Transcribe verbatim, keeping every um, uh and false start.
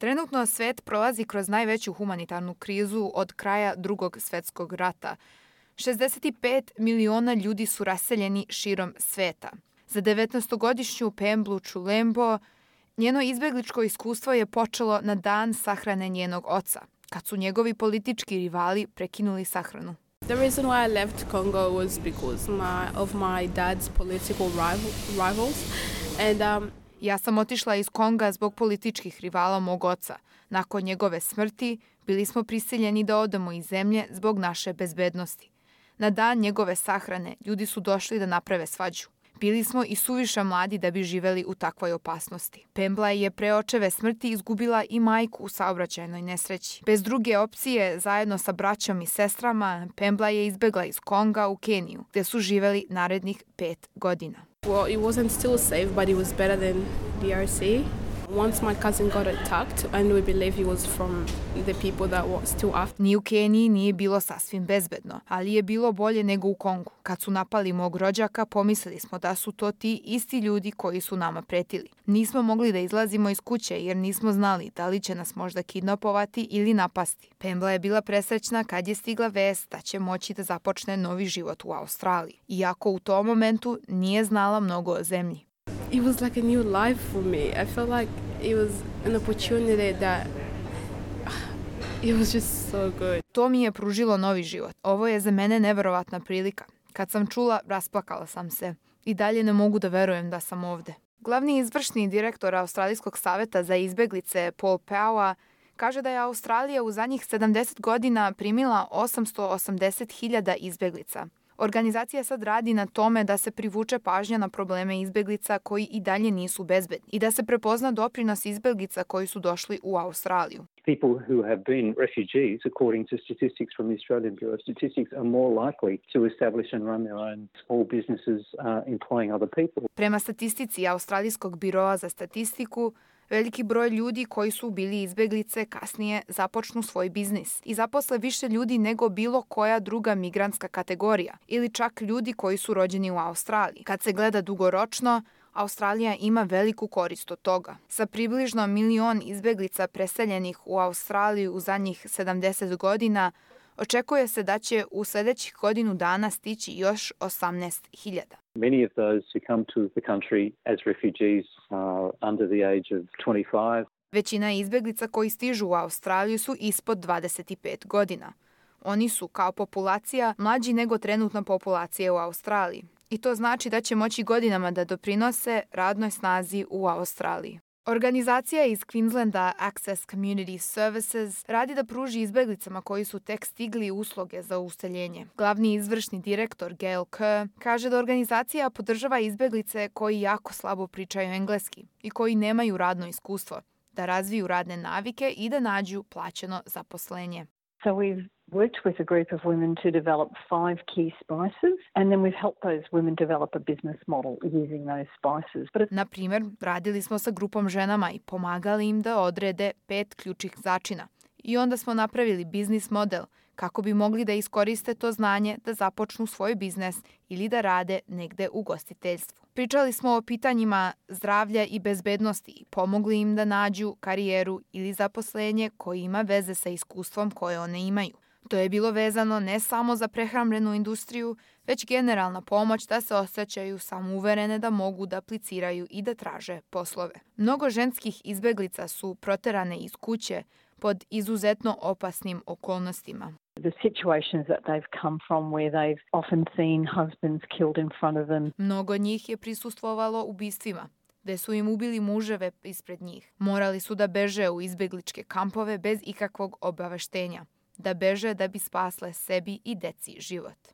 Trenutno svet prolazi kroz najveću humanitarnu krizu od kraja Drugog svetskog rata. šezdeset pet miliona ljudi su raseljeni širom sveta. Za devetnaestogodišnju Pemblu Chulembo njeno izbegličko iskustvo je počelo na dan sahrane njenog oca, kad su njegovi politički rivali prekinuli sahranu. The reason why I left Congo was because my, of my dad's political rival, rivals. And, um, Ja sam otišla iz Konga zbog političkih rivala mog oca. Nakon njegove smrti bili smo prisiljeni da odemo iz zemlje zbog naše bezbednosti. Na dan njegove sahrane ljudi su došli da naprave svađu. Bili smo i suviše mladi da bi živeli u takvoj opasnosti. Pembla je pre očeve smrti izgubila i majku u saobraćajnoj nesreći. Bez druge opcije, zajedno sa braćom i sestrama, Pembla je izbegla iz Konga u Keniju, gde su živeli narednih pet godina. Well, it wasn't still safe, but it was better than D R C. Once my cousin got attacked, and we believe he was from the people that were still after. Ni u Keniji nije bilo sasvim bezbedno, ali je bilo bolje nego u Kongu. Kad su napali mog rođaka, pomislili smo da su to ti isti ljudi koji su nama pretili. Nismo mogli da izlazimo iz kuće jer nismo znali da li će nas možda kidnapovati ili napasti. Pembla je bila presrećna kad je stigla vest da će moći da započne novi život u Australiji, iako u tom momentu nije znala mnogo o zemlji. It was like a new life for me. I felt like it was an opportunity that it was just so good. To mi je pružilo novi život. Ovo je za mene neverovatna prilika. Kad sam čula, rasplakala sam se. I dalje ne mogu da verujem da sam ovde. Glavni izvršni direktor Australijskog saveta za izbeglice Paul Power kaže da je Australija u zadnjih sedamdeset godina primila osamsto osamdeset hiljada izbeglica. Organizacija sad radi na tome da se privuče pažnja na probleme izbeglica koji i dalje nisu bezbedni i da se prepozna doprinos izbeglica koji su došli u Australiju. People who have been refugees, according to statistics from the Australian Bureau of Statistics, are more likely to establish and run their own small businesses uh, employing other people. Prema statistici Australijskog biroa za statistiku, veliki broj ljudi koji su bili izbeglice kasnije započnu svoj biznis i zaposle više ljudi nego bilo koja druga migrantska kategorija ili čak ljudi koji su rođeni u Australiji. Kad se gleda dugoročno, Australija ima veliku korist od toga. Sa približno milion izbeglica preseljenih u Australiju u zadnjih sedamdeset godina, očekuje se da će u sledećih godinu dana stići još osamnaest hiljada. Many of those who come to the country as refugees are under the age of twenty-five. Većina izbeglica koji stižu u Australiju su ispod dvadeset pet godina. Oni su, kao populacija, mlađi nego trenutna populacija u Australiji. I to znači da će moći godinama da doprinose radnoj snazi u Australiji. Organizacija iz Queenslanda Access Community Services radi da pruži izbeglicama koji su tek stigli usluge za useljenje. Glavni izvršni direktor Gail Kerr kaže da organizacija podržava izbeglice koji jako slabo pričaju engleski i koji nemaju radno iskustvo, da razviju radne navike i da nađu plaćeno zaposlenje. So we've worked with a group of women to develop five key spices, and then we've helped those women develop a business model using those spices. But Na primer, radili smo sa grupom ženama i pomagali im da odrede pet ključnih začina. I onda smo napravili biznis model kako bi mogli da iskoriste to znanje da započnu svoj biznes ili da rade negde u gostiteljstvu. Pričali smo o pitanjima zdravlja i bezbednosti i pomogli im da nađu karijeru ili zaposlenje koje ima veze sa iskustvom koje one imaju. To je bilo vezano ne samo za prehrambenu industriju, već generalna pomoć da se osjećaju samouverene da mogu da apliciraju i da traže poslove. Mnogo ženskih izbeglica su proterane iz kuće pod izuzetno opasnim okolnostima. the situations that they've come from where they've often seen husbands killed in front of them. Mnogo njih je prisustvovalo ubistvima, gde su im ubili muževe ispred njih. Morali su da beže u izbegličke kampove bez ikakvog obaveštenja, da beže da bi spasle sebi i deci život.